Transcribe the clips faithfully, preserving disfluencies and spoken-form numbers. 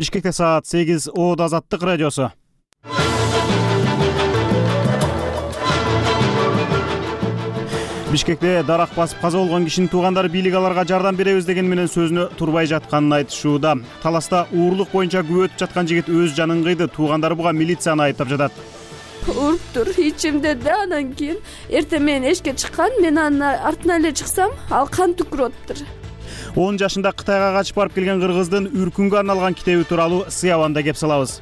Бишкекте саат сегиз. Оод Азаттык радиосу. Бишкекте дарак басып каза болгон кишинин туугандары бийлик аларга жардам беребиз деген менен сөзүнө турбай жатканын айтышууда. Таласта уурлук боюнча күбө өтүп жаткан жигит өз жанын кыйды. Туугандары буга милицияны айыптап жатат. Уруптур ичимде да, анан кийин эртең менен эшикке чыккан, мен анын артынан эле чыксам, ал кан түкүрүп атыптыр. он жашында Кытайга качып барып келген кыргыздын үркүнгө арналган китеби тууралуу Сыябанда кеп салабыз.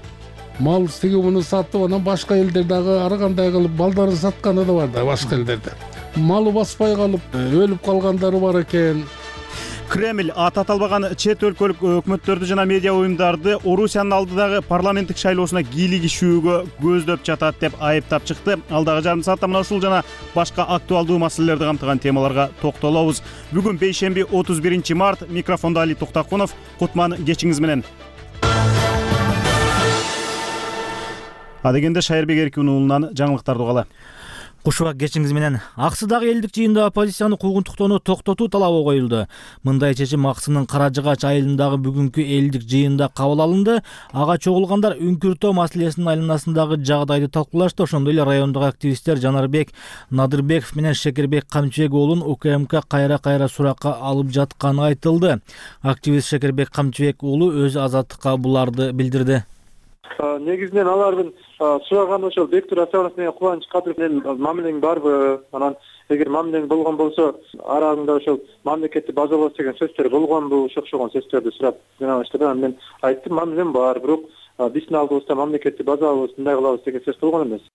Мал тиги муну сатып, анан башка элдер дагы ар кандай кылып балдарын сатканы да бар да башка элдерде. Малы баспай калып, өлүп калгандары бар экен. Кремль аты аталбаган чет өлкөлүк өкмөттөрдү жана медиа уюмдарды Орусиянын алдыдагы парламенттик шайлоосуна кийлигишүүгө көздөп жатат деп айыптап чыкты. Алдагы жарым саатта мына ушул жана башка актуалдуу маселелерди камтыган темаларга токтолобуз. Бүгүн бейшемби отуз биринчи март. Микрофондо Али Токтакунов. Кутман кечиңиз менен. Адегенде Шайырбек Эркин уулунан жаңылыктарды угалы. Кушубак кечиңиз менен. Аксыдагы элдик жыйында оппозицияны куугунтуктоону токтотуу талабы коюлду. Мындай чечим Аксынын Кара Жыгач айылындагы бүгүнкү элдик жыйында кабыл алынды. Ага чогулгандар үңкүртөө маселесинин айланасындагы жагдайды талкуулашты. Ошондой эле райондогу активисттер Жанарбек Надырбеков менен Шекербек Камчыбек уулун УКМК кайра-кайра суракка алып жатканы айтылды. Активист Шекербек Камчыбек уулу өз Азаттыкка буларды билдирди. Негизинен алардын сураганы ошол Бектур Асанович менен Кубаныч Кадыров менен мамилең барбы? Анан эгер мамилең болгон болсо, араңда ошол мамлекетти базалоос деген сөздөр болгонбу? Ошо окшогон сөздөрдү сурап жөнөштү. Анан мен айттым, мамилем бар, бирок биздин алдыбызда мамлекетти базалабыз, мындай кылабыз деген сөз болгон эмес.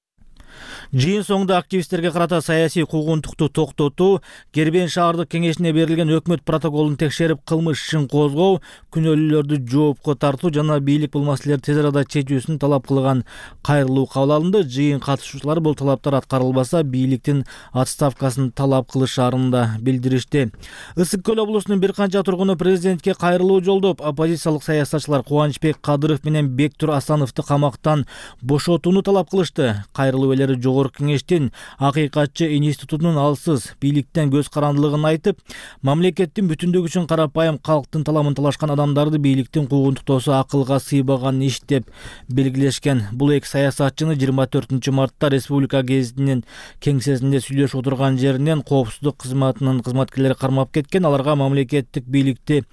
Жыйын соңунда активисттерге карата саясий куугунтукту токтотуу, Кербен шаардык кеңешине берилген өкмөт протоколун текшерип кылмыш ишин козгоо, күнөөлүүлөрдү жоопко тартуу жана бийлик бул маселелерди тез арада чечүүсүн талап кылган кайрылуу кабыл алынды. Жыйын катышуучулары бул талаптар аткарылбаса, бийликтин отставкасын талап кылышаарын да билдиришти. Ысык көл облусунун бир канча тургуну президентке кайрылуу жолдоп, оппозициялык саясатчылар Кубанычбек Кадыров менен Бектур Асановду камактан бошотууну талап кылышты. Кайрылуу ээлери жогорку кеңештин Акыйкатчы институтунун алсыз бийликтен көз карандылыгын айтып, мамлекеттин бүтүндүгү үчүн карапайым калктын таламын талашкан адамдарды бийликтин куугунтуктоосу акылга сыйбаган иш деп белгилешкен. Бул эки саясатчыны жыйырма төртүнчү мартта Республика гезитинин кеңсесинде сүйлөшүп отурган жеринен коопсуздук кызматынын кызматкерлери кармап кеткен. Аларга мамлекеттик бийликти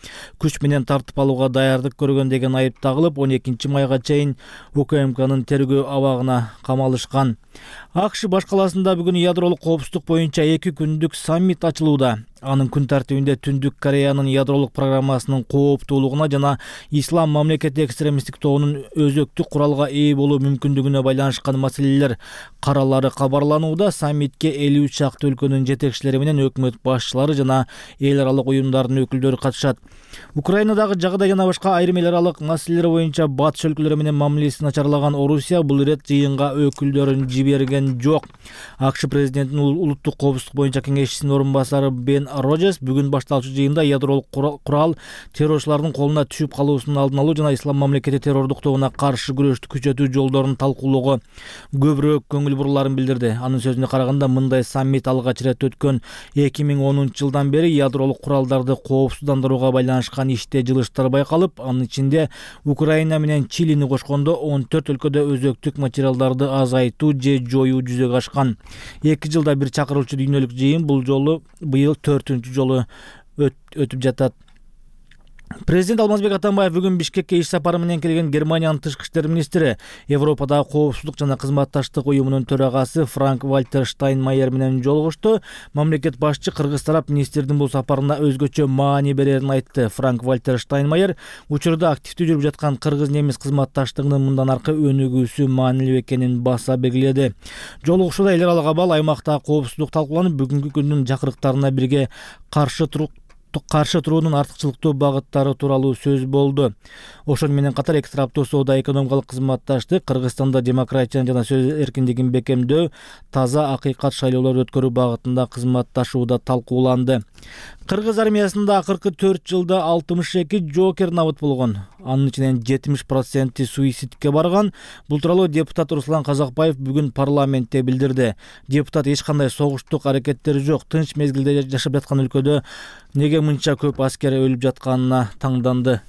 күч менен тартып алууга даярдык көргөн деген айып тагылып, он экинчи майга чейин УКМКнын тергөө абагына камалышкан. АКШ баш калаасында бүгүн ядролук коопсуздук боюнча эки күндүк саммит ачылууда. Анын күн тартибинде Түндүк Кореянын ядролук программасынын кооптуулугуна жана ислам мамлекети экстремисттик тобунун өзөктүк куралга ээ болуу мүмкүндүгүнө байланышкан маселелер каралары кабарланууда. Саммитке элүү чакты өлкөнүн жетекчилери менен өкмөт башчылары жана эл аралык уюмдардын өкүлдөрү катышат. Украинадагы жагдай жана башка айрым эл аралык маселелер боюнча батыш өлкөлөрү менен мамилесин начарлаган Орусия бул ирет жыйынга өкүлдөрүн жиберген жок. АКШ президентинин улуттук коопсуздук боюнча кеңешчисинин орун басары Бен Роджерс бүгүн башталчу жыйында ядролук курал террорчулардын колуна түшүп калуусунун алдын алуу жана ислам мамлекети террордук тобуна каршы күрөштү күчөтүү жолдорун талкуулоого көбүрөөк көңүл бурулаарын билдирди. Анын сөзүнө караганда, мындай саммит алгач ирет өткөн эки миң онунчу жылдан бери ядролук куралдарды коопсуздандырууга байланышкан иште жылыштар байкалып, анын ичинде Украина менен Чилини кошкондо он төрт өлкөдө өзөктүк материалдарды азайтуу же жоюу жүзөгө ашкан. эки жылда бир чакырылчу дүйнөлүк жыйын бул жолу быйыл төртүнчү жолу өтүп жатат. Президент Алмазбек Атамбаев бүгүн Бишкекке иш сапары менен келген Германиянын тышкы иштер министри, Европадагы коопсуздук жана кызматташтык уюмунун төрагасы Франк Вальтер Штайнмайер менен жолугушту. Мамлекет башчы кыргыз тарап министрдин бул сапарына өзгөчө маани берерин айтты. Франк Вальтер Штайнмайер учурда активдүү жүрүп жаткан кыргыз-немис кызматташтыгынын мындан аркы өнүгүүсү маанилүү экенин баса белгиледи. Жолугушууда эл аралык абал, аймактагы коопсуздук талкууланып, бүгүнкү күндүн жакырыктарына бирге каршы туруп каршы туруунун артыкчылыктуу багыттары тууралуу сөз болду. Ошону менен катар эки тараптуу соода-экономикалык кызматташтык, Кыргызстанда демократияны жана сөз эркиндигин бекемдөө, таза акыйкат шайлоолор өткөрүү багытында кызматташууда талкууланды. Кыргыз армиясында акыркы төрт жылда алтымыш эки жокер набыт болгон. Анын ичинен жетимиш проценти суицидке барган. Бул тууралуу депутат Руслан Казакбаев бүгүн парламентте билдирди. Депутат эч кандай согуштук аракеттери жок, тынч мезгилде жашап жаткан өлкөдө неге мынча көп аскер өлүп жатканына таңданды.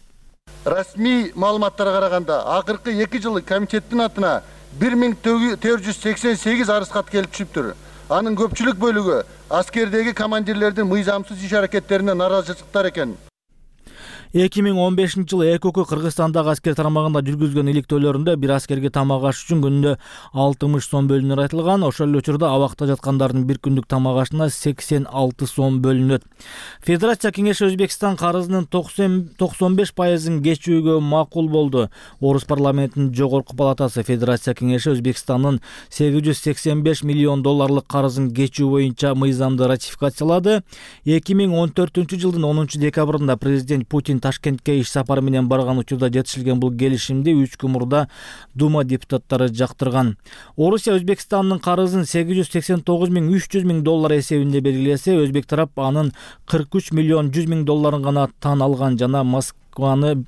Расмий маалыматтарга караганда акыркы эки жылы комитеттин атына бир миң төрт жүз сексен сегиз арыз кат келип түшүптүр. Анын көпчүлүк бөлүгү аскердеги командирлердин мыйзамсыз иш аракеттерине наразычылыктар экен. эки миң он бешинчи жылы Э К К Кыргызстандагы аскер тармагында жүргүзгөн иликтөөлөрүндө бир аскерге тамак аш үчүн күнүнө алтымыш сом бөлүнөр айтылган. Ошол эле учурда абакта жаткандардын бир күндүк тамак ашына сексен алты сом бөлүнөт. Федерация кеңеши Өзбекстан карызынын токсон беш пайызын кечүүгө макул болду. Орус парламентинин жогорку палатасы Федерация кеңеши Өзбекстандын сегиз жүз сексен беш миллион долларлык карызын кечүү боюнча мыйзамды ратификациялады. эки миң он төртүнчү жылдын онунчу декабрында президент Путин Ташкентке иш сапары менен барган учурда жетишилген бул келишимди үч күн мурда Дума депутаттары жактырган. Орусия Өзбекстандын карызын сегиз жүз сексен тогуз миң үч жүз миң доллар эсебинде белгилесе, Өзбек тарап анын кырк үч миллион жүз миң долларын гана тан алган жана Москваны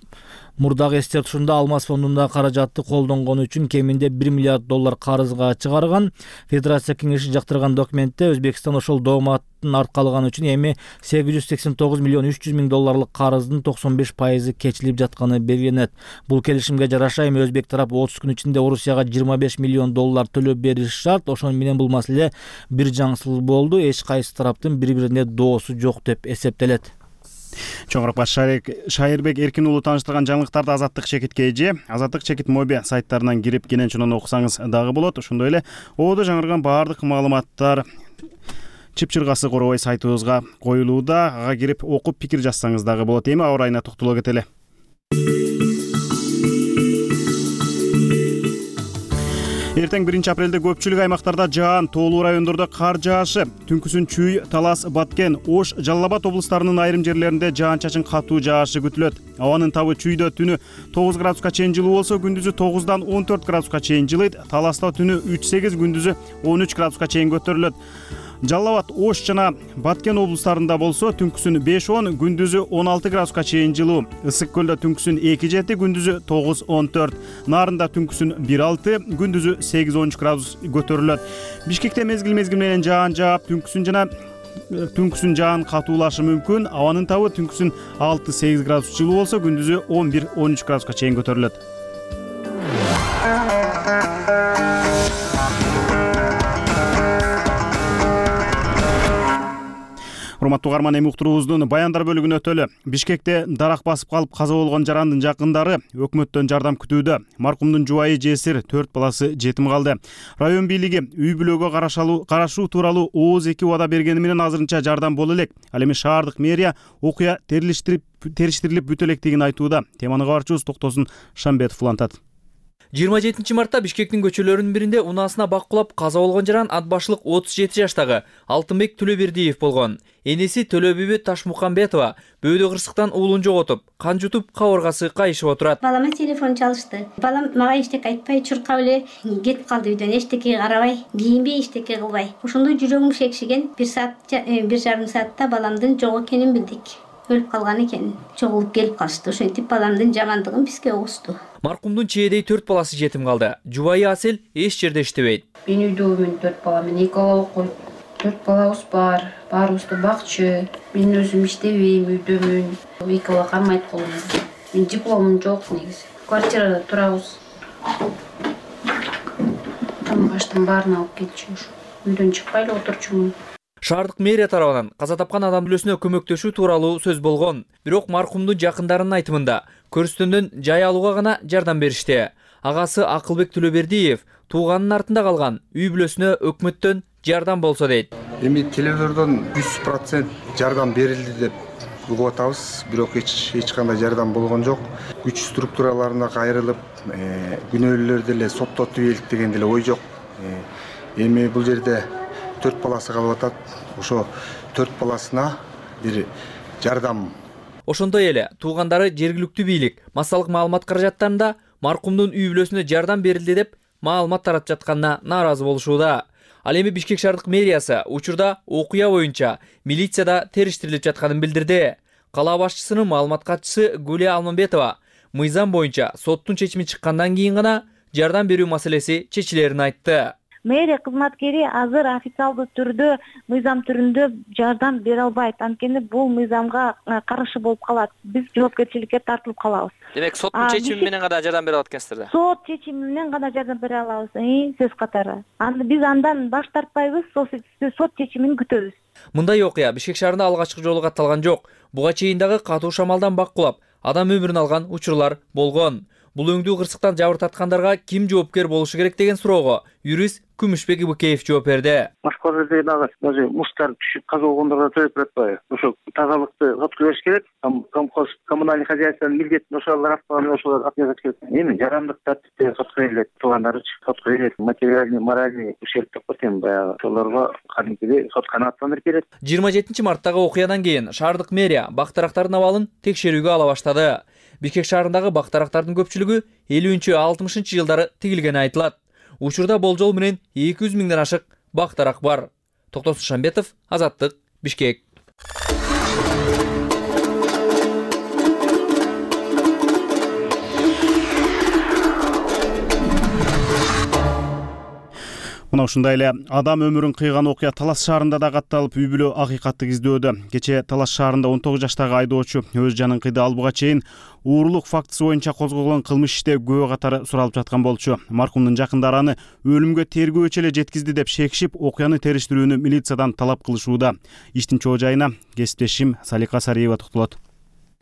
мурдагы эстертушунда Алмаз фондунда каражатты колдонгону үчүн кеминде бир миллиард доллар карызга чыгарган. Федерация кеңеши жактырган документте Өзбекстан ошол дооматтын аркалыганы үчүн эми сегиз жүз сексен тогуз миллион үч жүз миң долларлык карыздын токсон беш пайызы кечилип жатканы белгиленет. Бул келишимге жараша эми Өзбек тарап отуз күн ичинде Орусияга жыйырма беш миллион доллар төлөп бериши шарт. Ошону менен бул маселе бир жаңсыз болду. Эч кайсы тараптын бири-бирине доосу жок деп эсептелет. Чоңураак Шайырбек Эркин уулу тааныштырган жаңылыктарды Азаттык Чекит Кж, Азаттык Чекит моби сайттарынан кирип кенен чонон окусаңыз дагы болот. Ошондой эле ободо жаңырган баардык маалыматтар Чыпчыргасы Коробой сайтыбызга коюлууда. Ага кирип окуп пикир жазсаңыз дагы болот. Эми аба ырайына токтоло кетели. Эртең биринчи апрелде көпчүлүк аймактарда жаан, тоолуу райондордо кар жаашы, түнкүсүн Чүй, Талас, Баткен, Ош, Жалал Абад облустарынын айрым жерлеринде жаан-чачын катуу жаашы күтүлөт. Абанын табы Чүйдө түнү тогуз градуска чейин жылуу болсо, күндүзү тогуздан он төрт градуска чейин жылыйт. Таласта түнү үч сегиз, күндүзү он үч градуска чейин көтөрүлөт. Жалал Абад, Ош жана Баткен облустарында болсо, түнкүсүн беш он, күндүзү он алты градуска чейин жылуу. Ысык көлдө түнкүсүн эки жети, күндүзү тогуз он төрт. Нарында түнкүсүн бир алты, күндүзү сегиз он үч градус көтөрүлөт. Бишкекте мезгил-мезгил менен жаан жаап, түнкүсүн жана түнкүсүн жаан катуулашы мүмкүн. Абанын табы түнкүсүн алты сегиз градус жылуу болсо, күндүзү он бир он үч градуска чейин көтөрүлөт. Урматтуу угарман, эми уктуруубуздун баяндар бөлүгүнө өтөлү. Бишкекте дарак басып калып каза болгон жарандын жакындары өкмөттөн жардам күтүүдө. Маркумдун жубайы жесир, төрт баласы жетим калды. Район бийлиги үй бүлөгө карашуу тууралуу ооз эки убада бергени менен азырынча жардам боло элек. Ал эми шаардык мэрия окуя терилиштирип териштирилип бүтө электигин айтууда. Теманы кабарчыбыз Токтосун Шамбетов улантат. жыйырма жетинчи мартта Бишкектин көчөлөрүнүн биринде унаасына бак кулап каза болгон жаран ат башлык отуз жети жаштагы Алтынбек Төлөбердиев болгон. Энеси Төлөбүбү Ташмукамбетова бөөдө кырсыктан уулун жоготуп, кан жутуп, кабыргасы кайышып отурат. Балама телефон чалышты. Балам мага эчтеке айтпай, чуркап эле кетип калды үйдөн, эчтеке карабай, кийинбей, эчтеке кылбай. Ошондо жүрөгүм шекшиген. Бир саат, бир жарым саатта баламдын жок экенин билдик. Өлүп калган экен. Чогулуп келип калышты. Ошентип баламдын жамандыгын бизге угусту. Маркумдун чээдей төрт баласы жетим калды. Жубайы Асел эч жерде иштебейт. Мен үйдөмүн, төрт балам, мен эки бала окуйт. Төрт балабыз бар, баарыбызды бакчы. Мен өзүм иштебейм, үйдөмүн. Эки бала кармайт колумда. Мен дипломум жок негизи. Квартирада турабыз. Тамак аштын баарын алып кетчү. Үйдөн чыкпай эле отурчумун. Шаардык мэрия тарабынан каза тапкан адам бүлөсүнө көмөктөшүү тууралуу сөз болгон. Бирок маркумдун жакындарынын айтымында көрүстөндөн жай алууга гана жардам беришти. Агасы Акылбек Төлөбердиев тууганынын артында калган үй бүлөсүнө өкмөттөн жардам болсо дейт. Эми телевизордон жүз процент жардам берилди деп угуп атабыз, бирок эч эч кандай жардам болгон жок. Күч структураларына кайрылып, күнөөлүүлөрдү эле соттотуп ийелик деген деле ой жок. Эми бул жерде төрт баласы калып атат. Ошо төрт баласына бир жардам. Ошондой эле туугандары жергиликтүү бийлик массалык маалымат каражаттарында маркумдун үй бүлөсүнө жардам берилди деп маалымат таратып жатканына нааразы болушууда. Ал эми Бишкек шаардык мэриясы учурда окуя боюнча милицияда териштирилип жатканын билдирди. Кала башчысынын маалымат катчысы Гулия Алмамбетова мыйзам боюнча соттун чечими чыккандан кийин гана жардам берүү маселеси чечилерин айтты. мэрия кызматкери азыр официалдуу түрдө мыйзам түрүндө жардам бере албайт, анткени бул мыйзамга каршы болуп калат. Биз жоопкерчиликке тартылып калабыз. Демек соттун чечими менен гана жардам бере алат экенсиздер да? Сот чечими менен гана жардам бере алабыз, сөз катары. Анда биз андан баш тартпайбыз, сот чечимин күтөбүз. Мындай окуя Бишкек шаарында алгачкы жолу катталган жок. Буга чейин дагы катуу шамалдан баккулап, адам өмүрүн алган учурлар болгон. Бул өңдүү кырсыктан жабыр тарткандарга ким жоопкер болушу керек деген суроого юрист Күмүшбек Ибыкеев жооп берди. Башка жерде дагы даже муштар түшүп каза болгондорго төлөп жатпайбы? Ошо тазалыкты сотко бериш керек. Комхоз коммунальный хозяйствонун милдетин ошолор атканы ошолор отвечать керек. Эми жарандык тартипте сотко берилет, туугандарычы сотко берилет, материальный, моральный ущерб деп коет баягы ошолорго кадимкидей сот канааттаныр керек. жыйырма жетинчи марттагы окуядан кийин шаардык мэрия бактарактардын абалын текшерүүгө ала баштады. Бишкек шаарындагы бактарактардын көпчүлүгү элүүнчү алтымышынчы жылдары тигилгени айтылат. Учурда болжол менен эки жүз миңден ашык бактарак бар. Токтосун Шамбетов, Азаттык, Бишкек. Мына ушундай эле адам өмүрүн кыйган окуя Талас шаарында да катталып, үй бүлө акыйкатты издөөдө. Кечээ Талас шаарында он тогуз жаштагы айдоочу өз жанын кыйды, ал буга чейин уурулук фактысы боюнча козголгон кылмыш иште күбө катары суралып жаткан болчу. Маркумдун жакындары аны өлүмгө тергөөчү эле жеткизди деп шекишип, окуяны териштирүүнү милициядан талап кылышууда. Иштин чоо жайына кесиптешим Салика Сариева токтолот.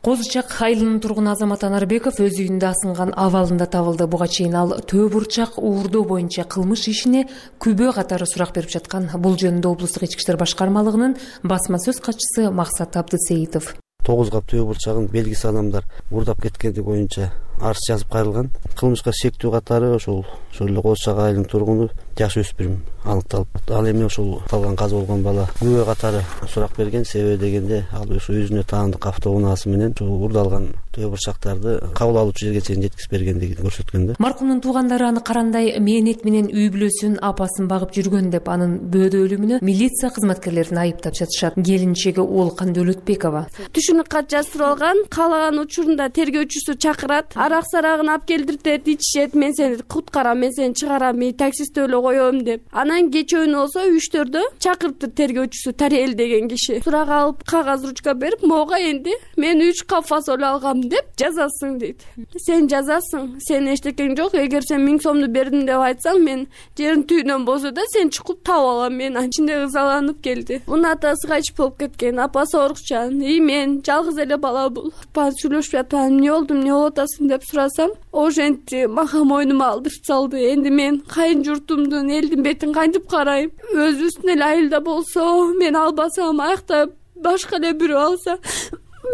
Козучак айылынын тургуну Азамат Анарбеков өз үйүндө асынган абалында табылды. Буга чейин ал Төө бурчак уурдоо боюнча кылмыш ишине күбө катары сурак берип жаткан. Бул жөнүндө облустук ички иштер башкармалыгынын басма сөз катчысы Максат Абдысеитов. тогуз кап Төө бурчагын белгисиз адамдар уурдап кеткени боюнча арыз жазып кайрылган. Кылмышка шектүү катары ошол ошол эле Козучак айылынын тургуну жаш өспүрүм аныкталып, ал эми ошол калган каза болгон бала күбө катары сурак берген. Себеби дегенде ал ошо өзүнө таандык автоунаасы менен уурдалган Төө бурчактарды кабыл алуучу жерге чейин жеткирип бергендигин көрсөткөн да. Маркумдун туугандары аны карандай мээнет менен үй бүлөсүн, апасын багып жүргөн деп, анын бөөдө өлүмүнө милиция кызматкерлерин айыптап жатышат. Келинчеги Олкан Дөлөтбекова. Түшүнүк кат жаздырылган, каалаган учурунда тергөөчүсү чакырат, арак сарагын алып келдиртет, ичишет, мен сени куткарам, мен сени чыгарам, таксистти эле коем деп. Анан кечөөнү болсо үчтөрдө чакырыптыр тергөөчүсү Тариэл деген киши. Сурак алып, кагаз ручка берип, мога энди мен үч кап фасоль алгам деп жазасың дейт. Сен жазасың, сен эчтекең жок, эгер сен миң сомду бердим деп айтсаң, мен жерин түйүнөн болсо да сен чукуп таап алам. Мен ачинде ызаланып келди. Мунун атасы качып болуп кеткен, апасы орукчан. И мен жалгыз эле бала бул. Баары сүйлөшүп жатам, эмне болду, эмне болуп атасың деп сурасам, ошентти мага мойнума алдырып салды. Энди мен кайын журтумдун, элдин бетин кантип карайм? Өзүбүздүн эле айылда болсо, мен албасам, аякта башка эле бирөө алса,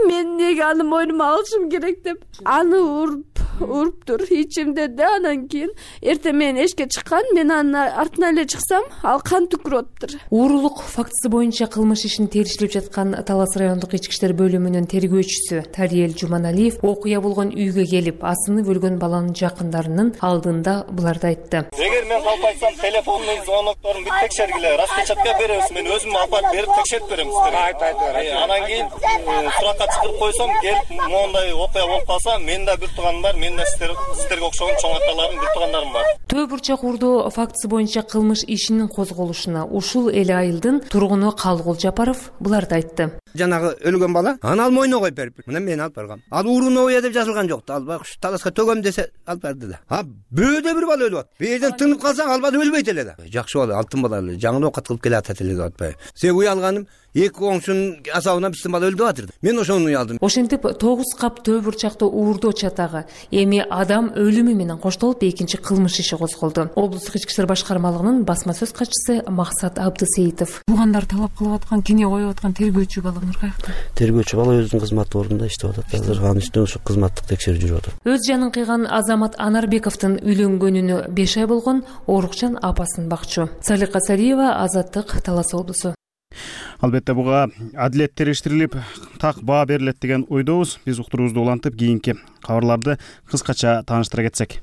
мен неге аны мойнума алышым керек деп аны уруп уруптур ичимде да. Анан кийин эртең менен эшикке чыккан, мен анын артынан эле чыксам, ал кан түкүрөптүр. Уурулук фактысы боюнча кылмыш ишин териштирип жаткан Талас райондук ички иштер бөлүмүнүн тергөөчүсү Тариэл Жуманалиев окуя болгон үйгө келип, асынып өлгөн баланын жакындарынын алдында буларды айтты. Эгер мен алып айтсам, телефонун звонокторун бүт текшергиле, распечатка беребиз, мен өзүм алып берип текшерип берем сиздерге. Айт айт. Анан кийин суракка чыгырып койсом, келип моундай окуя болуп калса, мен да бир тууганым бар, мен да сиздер сиздерге окшогон чоң аталарым, бир туугандарым бар. Төө бурчак уурдоо фактысы боюнча кылмыш ишинин козголушуна ушул эле айылдын тургуну Калгул Жапаров буларды айтты. Жанагы өлгөн бала аны ал мойнуна коюп берип, мына мен алып баргам. Ал уурунобуя деп жазылган жок. Ал баягы таласка төгөм десе алып барды да. А бөөдө бир бала өлүп атат. Бээден тынып калсаң ал бала өлбөйт эле да. Жакшы бала, алтын бала эле, жаңы оокат кылып келатат эле деп атпайбы. Сен уялганым эки коңшунун асабынан биздин бала өлүп атыр. Мен ошону уялдым. Ошентип тогуз кап Төө бурчакты уурдоо чатагы эми адам өлүмү менен коштолуп экинчи кылмыш иши козголду. Облустук ички иштер башкармалыгынын басма сөз катчысы Максат Абдысеитов. Туугандар талап кылып аткан, кине коюп аткан тергөөчү балаңар каякта? Тергөөчү бала өзүнүн кызмат ордунда иштеп атат. Азыр анын үстүнөн ушу кызматтык текшерүү жүрүп атат. Өз жанын кыйган Азамат Анарбековдун үйлөнгөнүнө беш ай болгон, орукчан апасын бакчу. Салика Сариева, Азаттык, Талас облусу. Албетте буга адилет териштирилип, так баа берилет деген ойдобуз. Биз уктуруубузду улантып, кийинки кабарларды кыскача тааныштыра кетсек.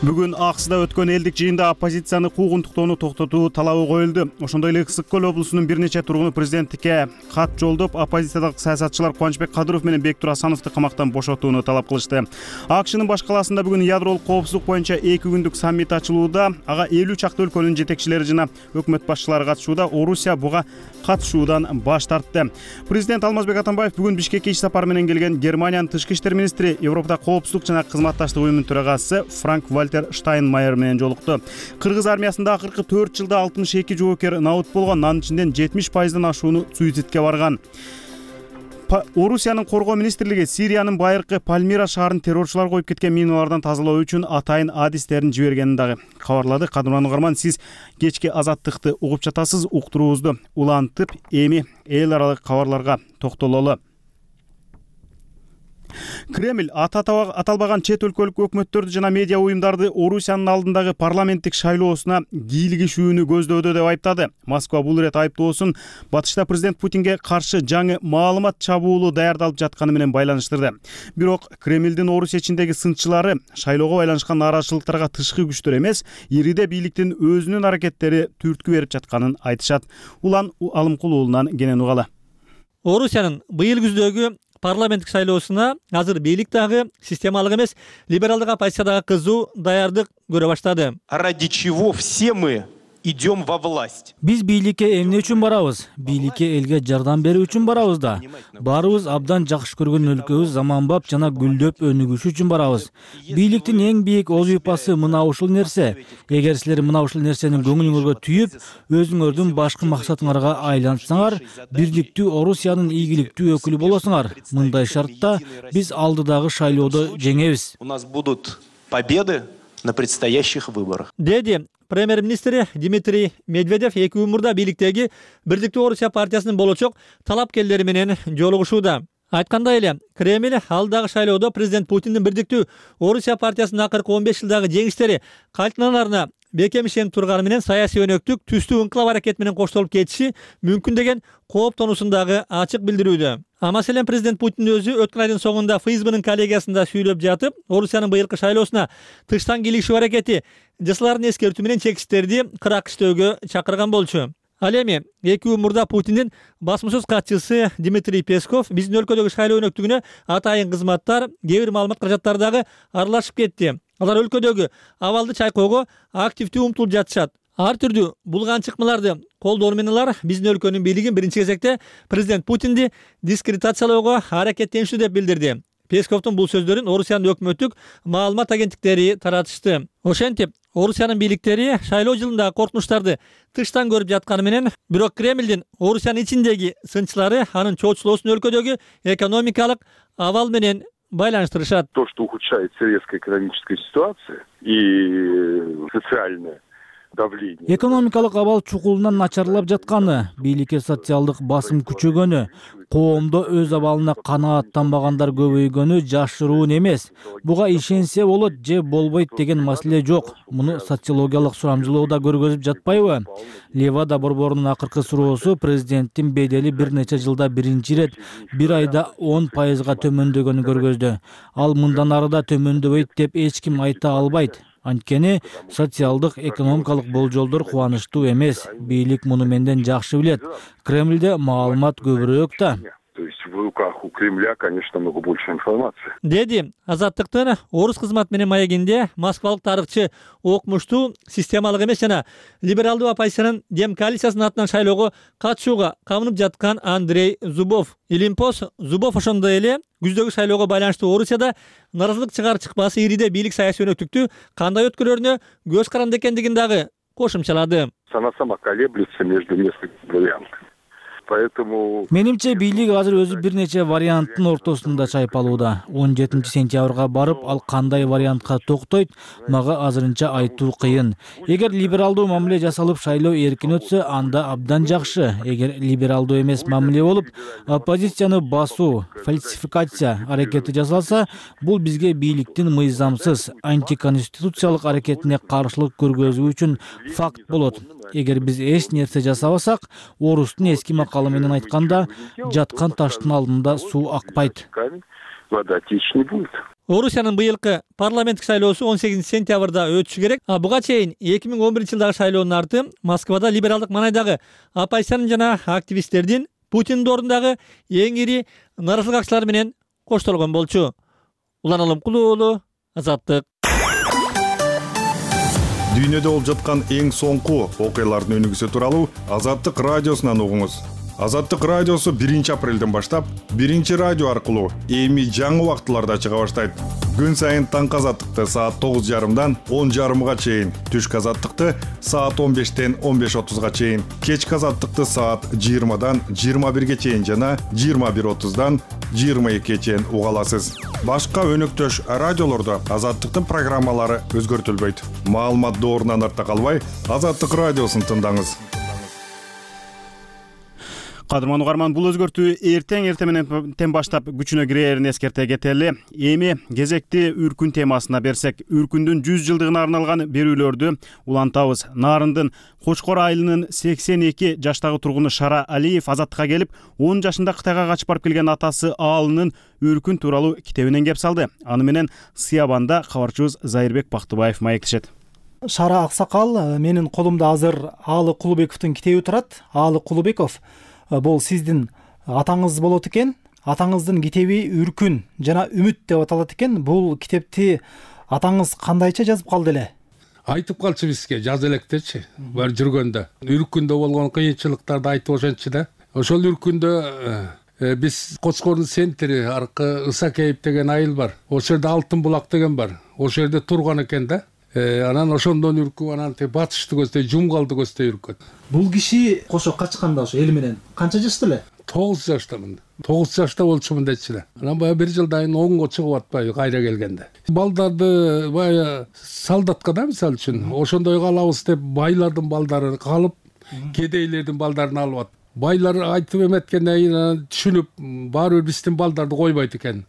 Бүгүн Аксыда өткөн элдик жыйында оппозицияны куугунтуктоону токтотуу талабы коюлду. Ошондой эле Ысык көл облусунун бир нече тургуну президенттикке кат жолдоп, оппозициядагы саясатчылар Кубанычбек Кадыров менен Бектур Асановду камактан бошотууну талап кылышты. АКШнын баш калаасында бүгүн ядролук коопсуздук боюнча эки күндүк саммит ачылууда. Ага элүү чакты өлкөнүн жетекчилери жана өкмөт башчылары катышууда. Орусия буга катышуудан баш тартты. Президент Алмазбек Атамбаев бүгүн Бишкекке иш сапар менен келген Германиянын тышкы иштер министри, Европада коопсуздук жана кызматташтык уюмунун төрагасы Франк Вальтер Штайнмайер менен жолукту. Кыргыз армиясында акыркы төрт жылда алтымыш эки жоокер набыт болгон, анын ичинен жетимиш пайыздан ашууну суицидке барган. Орусиянын коргоо министрлиги Сириянын байыркы Пальмира шаарын террорчулар коюп кеткен миналардан тазалоо үчүн атайын адистерин жибергенин дагы кабарлады. Кадырман Угарман, сиз кечки Азаттыкты угуп жатасыз. Уктуруубузду улантып, эми эл аралык кабарларга токтололу. Кремль аталбаган чет өлкөлүк өкмөттөрдү жана медиа уюмдарды Орусиянын алдындагы парламенттик шайлоосуна кийлигишүүнү көздөөдө деп айыптады. Москва бул ирет айыптоосун батышта президент Путинге каршы жаңы маалымат чабуулу даярдалып жатканы менен байланыштырды. Бирок Кремлдин Орусия ичиндеги сынчылары шайлоого байланышкан нааразычылыктарга тышкы күчтөр эмес, ириде бийликтин өзүнүн аракеттери түрткү берип жатканын айтышат. Улан Алымкул уулунан кенен угалы. Орусиянын быйыл күздөгү парламенттик шайлоосуна азыр бийлик дагы системалык эмес, либералдык оппозициядагы кызуу даярдык көрө баштады. Ради чего все мы идем во власть? Биз бийликке эмне үчүн барабыз? Бийликке элге жардам берүү үчүн барабыз да. Баарыбыз абдан жакшы көргөн өлкөбүз заманбап жана гүлдөп өнүгүшү үчүн барабыз. Бийликтин эң бийик озуйпасы мына ушул нерсе. Эгер силер мына ушул нерсени көңүлүңөргө түйүп, өзүңөрдүн башкы максатыңарга айлантсаңар, бирликтүү Орусиянын ийгиликтүү өкүлү болосуңар. Мындай шартта биз алдыдагы шайлоодо жеңебиз. У нас будут победы на предстоящих выборах. Деди премьер-министри Дмитрий Медведев эки күн мурда бийликтеги Бирдиктүү Орусия партиясынын болочок талапкерлери менен жолугушууда. Айткандай эле, Кремль алдагы шайлоодо президент Путиндин Бирдиктүү Орусия партиясынын акыркы он беш жылдагы жеңиштери кайтаналарына бекем ишенип турганы менен саясий өнөктүк түстүү ыңкылап аракет менен коштолуп кетиши мүмкүн деген кооптонуусун дагы ачык билдирүүдө. А маселен президент Путин өзү өткөн айдын соңунда ФСБнын коллегиясында сүйлөп жатып, Орусиянын быйылкы шайлоосуна тыштан кийлигишүү аракети жасаларын эскертүү менен чексиздерди кырак иштөөгө чакырган болчу. Ал эми эки күн мурда Путиндин басмасөз катчысы Дмитрий Песков биздин өлкөдөгү шайлоо өнөктүгүнө атайын кызматтар, кээ бир маалымат каражаттары дагы аралашып кетти. Алар өлкөдөгү абалды чайкоого активдүү умтулуп жатышат. Ар түрдүү булган чыкмаларды колдоо менен алар биздин өлкөнүн бийлигин биринчи кезекте президент Путинди дискредитациялоого аракеттеништи деп билдирди. Песковдун бул сөздөрүн Орусиянын өкмөттүк маалымат агенттиктери таратышты. Ошентип, Орусиянын бийликтери шайлоо жылындагы коркунучтарды тыштан көрүп жатканы менен, бирок Кремлдин Орусиянын ичиндеги сынчылары анын чоочулоосун өлкөдөгү экономикалык абал менен байланыштырышат. То, что ухудшается резко экономическая ситуация и социальная давление. Экономикалык абал чукулунан начарлап жатканы, бийликке социалдык басым күчөгөнү, коомдо өз абалына канааттанбагандар көбөйгөнү жашыруун эмес. Буга ишенсе болот же болбойт деген маселе жок. Муну социологиялык сурамжылоо да көргөзүп жатпайбы? Левада борборунун акыркы суроосу президенттин бедели бир нече жылда биринчи ирет бир айда он пайызга төмөндөгөнү көргөздү. Ал мындан ары да төмөндөбөйт деп эч ким айта албайт. Анткени социалдык экономикалык болжолдор кубанычтуу эмес. Бийлик муну менден жакшы билет. Кремлде маалымат көбүрөөк да. То есть в руках у Кремля, конечно, много больше информации. Деди Азаттыктын орус кызмат менен маегинде москвалык тарыхчы окумуштуу системалык эмес жана либералдуу оппозициянын Дем коалициясынын атынан шайлоого катышууга камынып жаткан Андрей Зубов. Илимпос Зубов ошондой эле күздөгү шайлоого байланыштуу Орусияда нааразылык чыгар чыкпасы ириде бийлик саясий өнөктүктү кандай өткөрөрүнө көз каранды экендигин дагы кошумчалады. Она сама колеблется между несколькими вариантами. Поэтому менимче бийлик азыр өзү бир нече варианттын ортосунда чайпалууда. он жетинчи сентябрга барып, ал кандай вариантка токтойт, мага азырынча айтуу кыйын. Эгер либералдуу мамиле жасалып шайлоо эркин өтсө, анда абдан жакшы. Эгер либералдуу эмес мамиле болуп, оппозицияны басуу, фальсификация аракети жасалса, бул бизге бийликтин мыйзамсыз, антиконституциялык аракетине каршылык көргөзүү үчүн факт болот. Эгер биз эч нерсе жасабасак, орустун эски макалы менен айтканда, жаткан таштын алдында суу акпайт. Вода течь не будет. Орусиянын быйылкы парламенттик шайлоосу он сегизинчи сентябрда өтүшү керек. А буга чейин эки миң он биринчи жылдагы шайлоонун арты Москвада либералдык маанайдагы оппозициянын жана активисттердин Путиндин ордундагы эң ири нааразычылык менен коштолгон болчу. Улан Алымкулуу уулу, Азаттык. Дүйнөдө болуп жаткан эң соңку окуялардын өнүгүүсү тууралуу Азаттык радиосунан угуңуз. Азаттык радиосу биринчи апрелден баштап биринчи радио аркылуу эми жаңы убактыларда чыга баштайт. Күн сайын таңкы азаттыкты саат тогуз жарымдан он жарымга чейин, түшкү азаттыкты саат он бештен он беш отузга чейин, кечки азаттыкты саат жыйырмадан жыйырма бирге чейин жана жыйырма бир отуздан жыйырма экиге чейин уга аласыз. Башка өнөктөш радиолордо азаттыктын программалары өзгөртүлбөйт. Маалымат доорунан артта калбай, Азаттык радиосун тыңдаңыз. Кадырман угарман, бул өзгөртүү эртең эртең менен баштап күчүнө кирерин эскерте кетели. Эми кезекти үркүн темасына берсек, үркүндүн жүз жылдыгына арналган берүүлөрдү улантабыз. Нарындын Кочкор айылынын сексен эки жаштагы тургуну Шара Алиев азаттыкка келип, он жашында Кытайга качып барып келген атасы Аалынын үркүн тууралуу китебинен кеп салды. Аны менен Сыябанда кабарчыбыз Зайырбек Бактыбаев маектешет. Шара аксакал, менин колумда азыр Аалы Кулубековдун китеби турат. Аалы Кулубеков бул сиздин атаңыз болот экен. Атаңыздын китеби Үркүн жана Үмүт деп аталат экен. Бул китепти атаңыз кандайча жазып калды эле? Айтып калчу бизге, жаз электечи. Бар жүргөндө. Үркүндө болгон кыйынчылыктарды айтып ошентчи да. Ошол Үркүндө биз Кочкордун центри аркы Ысакеев деген айыл бар. Ошол жерде Алтын булак деген бар. Ошол жерде турган экен да. Анан ошондон үркүп, анан батышты көздөй, Жумгалды көздөй үркөт. Бул киши кошо качканда ошо эл менен канча жашта эле? тогуз жаштамын. тогуз жашта болчумун дечи эле. Анан баягы бир жылдан онго чыгып атпайбы кайра келгенде. Балдарды баягы солдатка да мисалы үчүн ошондой калабыз деп байлардын балдары калып, кедейлердин балдарын алып атат. Байлар айтып эметкенден кийин түшүнүп, баары бир биздин балдарды койбойт экен.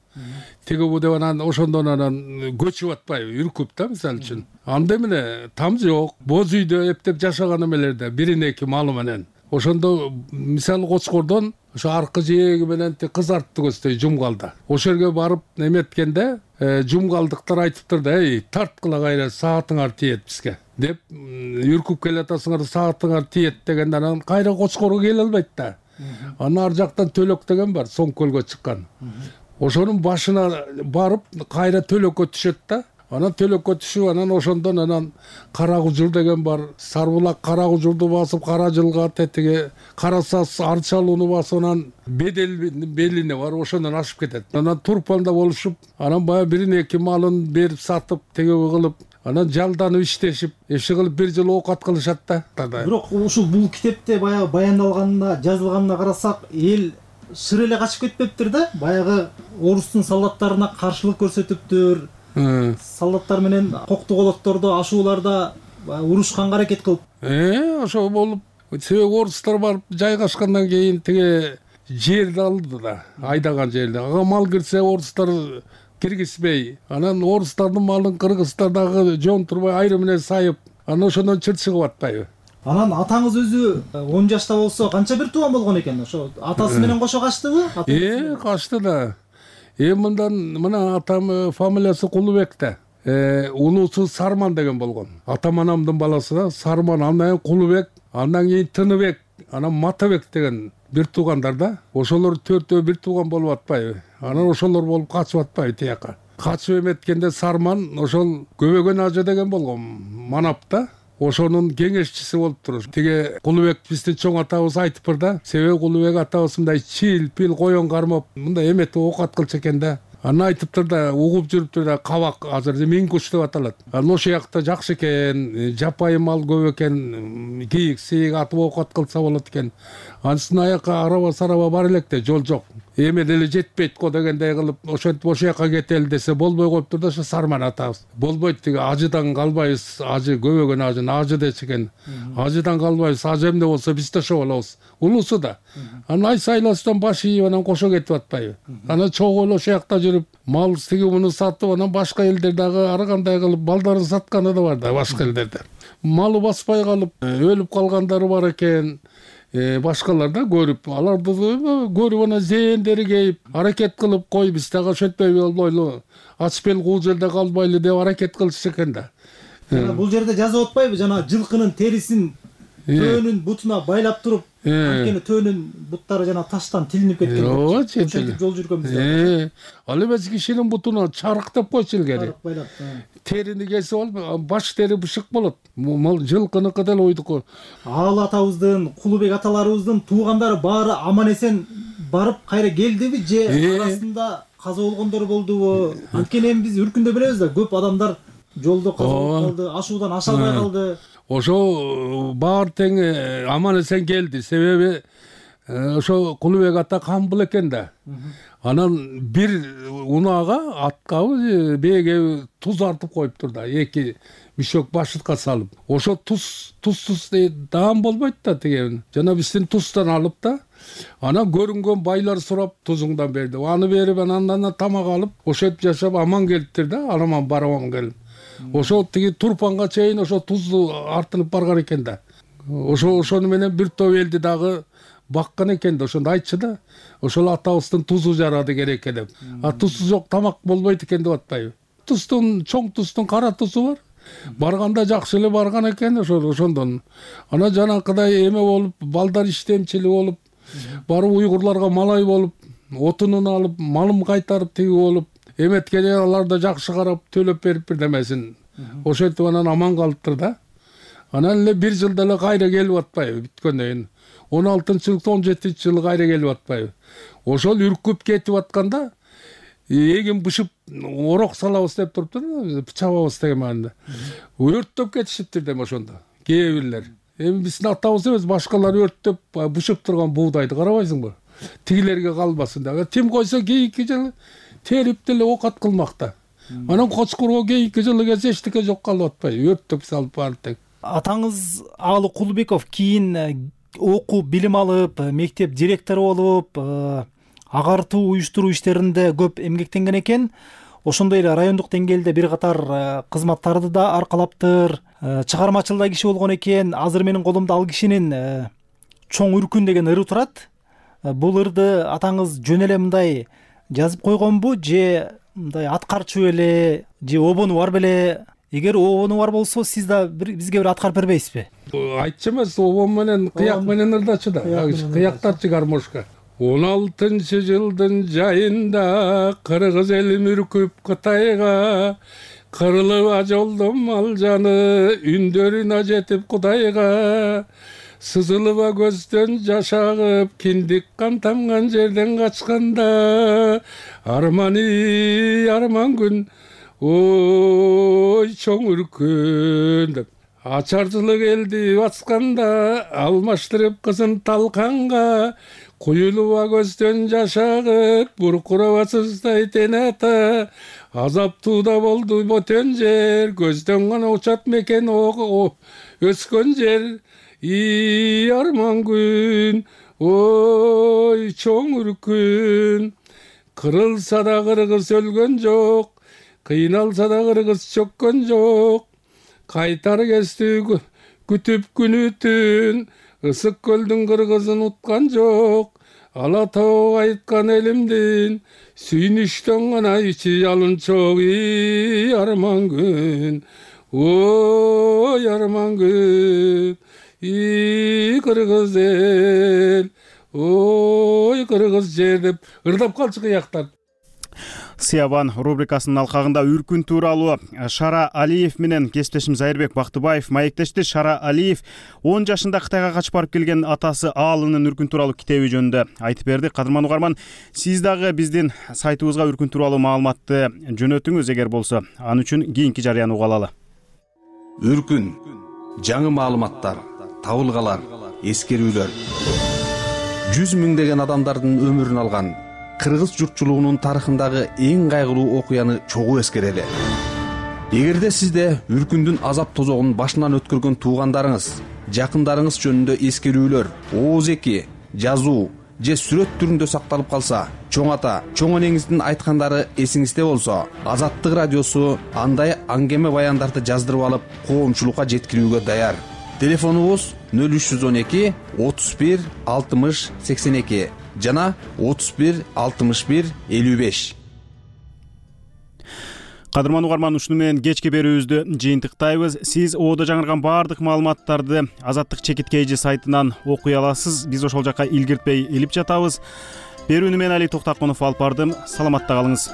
Теге бу деп анан ошондон анан көчүп атпайбы, үркүп да мисалы үчүн. Анда эмне там жок, боз үйдө эптеп жашаган эмелерде бирин эки малы менен. Ошондо мисалы Кочкордон ошо аркы жээги менен кызартты көздөй Жумгалда. Ошол жерге барып эметкенде жумгалдыктар айтыптыр да, эй, тарткыла кайра, саатыңар тиет бизге деп үркүп келатасыңар, саатыңар тиет дегенде анан кайра Кочкорго келе албайт да. Анан ар жактан Төлөк деген бар, Соң көлгө чыккан. Ошонун башына барып кайра Төлөккө түшөт да. Анан Төлөккө түшүп, анан ошондон анан Карагужур деген бар. Сарбулак Карагужурду басып, Кара жылга тетиге, Карасас Арчалууну басып, анан Бедел белине бар, ошондон ашып кетет. Анан Турпанда болушуп, анан баягы бирин эки малын берип сатып, теге кылып, анан жалданып иштешип, иши кылып бир жыл оокат кылышат да. Бирок ушул бул китепте баягы баяндалганына, жазылганына карасак, эл шыр эле качып кетпептир да. Баягы орустун солдаттарына каршылык көрсөтүптүр. Солдаттар менен кокту колоттордо, ашууларда урушканга аракет кылып. Э, ошо болуп, себеби орустар барып жайгашкандан кийин теге жерди алды да, айдаган жерди. Ага мал кирсе орустар киргизбей, анан орустардын малын кыргыздар дагы жон турбай айры менен сайып, анан ошондон чыр чыгып атпайбы. Анан атаңыз өзү он жашта болсо канча бир тууган болгон экен? Ошо атасы менен кошо качтыбы? Э, качты да. Эми мындан мына атам фамилиясы Кулубек да. Э, улусу Сарман деген болгон. Атам анамдын баласы да, Сарман, андан Кулубек, андан кийин Тыныбек, анан Матабек деген бир туугандар да. Ошолор төртөө бир тууган болуп атпайбы? Анан ошолор болуп качып атпайбы тияка? Качып эметкенде Сарман ошол Көбөгөн ажы деген болгон, Манап да. Ошонун кеңешчиси болуптур. Теге Кулубек биздин чоң атабыз айтыптыр да. Себеби Кулубек атабыз мындай чил, пил, коён кармап, мындай эметип оокат кылчу экен да. Анан айтыптыр да, угуп жүрүптүр да, кабак азыр Минкуш деп аталат. Анан ошол жакта жакшы экен, жапайы мал көп экен, кийик, сейик атып оокат кылса болот экен. Ансын аяка араба сараба бар электе, жол жок. Эме деле жетпейт го дегендей кылып, ошентип ошол жака кетели десе болбой коюптур да, ошо Сарман атабыз. Болбойт, тиги ажыдан калбайбыз, ажы көбөгөн ажын ажы дечи экен. Ажыдан калбайбыз, ажы эмне болсо биз да ошо болобуз. Улусу да. Анан ай сайласынан баш ийип анан кошо кетип атпайбы. Анан чогуу эле ошол жакта жүрүп, мал тиги муну сатып, анан башка элдер дагы ар кандай кылып балдарын сатканы да бар да башка элдерде. Малы баспай калып, өлүп калгандары бар экен. башкалар да көрүп, аларды көрүп анан зээндери кейип аракет кылып, кой биз дагы ошентпей болбойлу, ачып эл кул жерде калбайлы деп аракет кылышты экен да. Жана бул жерде жазып атпайбы, жана жылкынын терисин төөнүн бутуна байлап туруп, анткени төөнүн буттары жана таштан тилинип кеткен. Ооба, ошентип жол жүргөнбүз. Ал эмес кишинин бутуна чарык деп койчу илгери. Чарык байлап. Терини кесип алып, баш тери бышык болот. Жылкыныкы деле ойдуку. Аал атабыздын, Кулубек аталарыбыздын туугандары баары аман эсен барып кайра келдиби же арасында каза болгондор болдубу? Анткени эми биз Үркүндө билебиз да, көп адамдар жолдо каза болуп калды, ашуудан аша албай калды. Ошо баары тең аман эсен келди. Себеби ошо Кулубек ата камбыл экен да. Анан бир унаага аткабы бээге туз артып коюптур да, эки мишок башытка салып. Ошо туз тузсуз даам болбойт да тиги. Жана биздин туздан алып да, анан көрүнгөн байлар сурап тузуңдан берди. Аны берип анан тамак алып, ошентип жашап аман келиптир да, аламан бараман келип. Ошо тиги Турпанга чейин ошо тузду артылып барган экен да. Ошо ошону менен бир топ элди дагы баккан экен да, ошондо айтчу да. Ошол атабыздын тузу жарады керек деп. А тузсуз жок тамак болбойт экен деп атпайбы? Туздун, чоң туздун кара тузу бар. Барганда жакшы эле барган экен ошо ошондон. Анан жанакыдай эме болуп, балдар иштемчили болуп, барып уйгурларга малай болуп, отунун алып, малым кайтарып тиги болуп, эметкене алар да жакшы карап төлөп берип бирдемесин. Ошентип анан аман калыптыр да. Анан эле бир жылда эле кайра келип атпайбы бүткөндөн кийин. он алтынчы жылы, он жетинчи жылы кайра келип атпайбы. Ошол үркүп кетип атканда эгин бышып орок салабыз деп туруптур, чабабыз деген маанада. Өрттөп кетишиптир дем ошондо. Кээ бирлер. Эми биздин атабыз эмес, башкалар өрттөп бышып турган буудайды карабайсыңбы? Тигилерге калбасын да. Тим койсо кийинки жылы терип деле окат кылмакта. Анан Кочкурго кийинки жылы келсе эчтеке жок калып атпайбы, өрттөп салып баары тең. Атаңыз Аалы Кулубеков кийин окуу билим алып, мектеп директору болуп, агартуу уюштуруу иштеринде көп эмгектенген экен. Ошондой эле райондук деңгээлде бир катар кызматтарды да аркалаптыр. Чыгармачыл да киши болгон экен. Азыр менин колумда ал кишинин Чоң Үркүн деген ыры турат. Бул ырды атаңыз жөн эле мындай жазып койгонбу же мындай аткарчу эле же обону бар беле? Эгер обону бар болсо, сиз да бизге бир аткарып бербейсизби? Айтчы эмес, обон менен кыяк менен ырдачы да. Кыяктарчы гармошка. он алтынчы жылдын жайында кыргыз эли үркүп Кытайга, кырылып ажолдом мал жаны, үндөрүнө жетип Кудайга. Сызылыба көздөн жаш агып, киндик кан тамган жерден качканда, арманы арман күн, ой чоң үркүн деп. Ачарчылык элди басканда, алмаштырып кызын талканга, куюлуба көздөн жаш агып, буркурабасыздай тен ата, азаптууда болду ботөн жер, көздөн гана учат мекен өскөн жер. И арман күн, ой чоң үркүн, кырылса да кыргыз өлгөн жок, кыйналса да кыргыз чөккөн жок, кайтар кести күтүп күнү түн, ысык көлдүн кыргызын уткан жок, ала тоо айткан элимдин, сүйүнүштөн гана ичи жалынчок. И арман күн, ой арман күн, и кыргыз эл, ой кыргыз жер деп ырдап калчу кыяктар. Сыябан рубрикасынын алкагында Үркүн тууралуу Шара Алиев менен кесиптешим Зайырбек Бактыбаев маектешти. Шара Алиев он жашында Кытайга качып барып келген атасы Аалынын Үркүн тууралуу китеби жөнүндө айтып берди. Кадырман угарман, сиз дагы биздин сайтыбызга Үркүн тууралуу маалыматты жөнөтүңүз эгер болсо. Ан үчүн кийинки жарыяны угалалы. Үркүн, жаңы маалыматтар, табылгалар, эскерүүлөр. жүз миңдеген адамдардын өмүрүн алган кыргыз журтчулугунун тарыхындагы эң кайгылуу окуяны чогуу эскерели. Эгерде сизде Үркүндүн азап тозогун башынан өткөргөн туугандарыңыз, жакындарыңыз жөнүндө эскерүүлөр, ооз-эки, жазуу же сүрөт түрүндө сакталып калса, чоң ата, чоң энеңиздин айткандары эсиңизде болсо, Азаттык радиосу андай аңгеме баяндарды жаздырып алып, коомчулукка жеткирүүгө даяр. телефонубуз нөл үч жүз он эки отуз бир алтымыш сексен эки жана отуз бир алтымыш бир элүү беш. Кадырман угарман, ушуну менен кечки берүүбүздү жыйынтыктайбыз. Сиз оодо жаңырган баардык маалыматтарды Азаттык чекиткейжи сайтынан окуй аласыз. Биз ошол жака илгиртпей илип жатабыз. Берүүнү мен Али Токтакунов алып бардым. Саламатта калыңыз.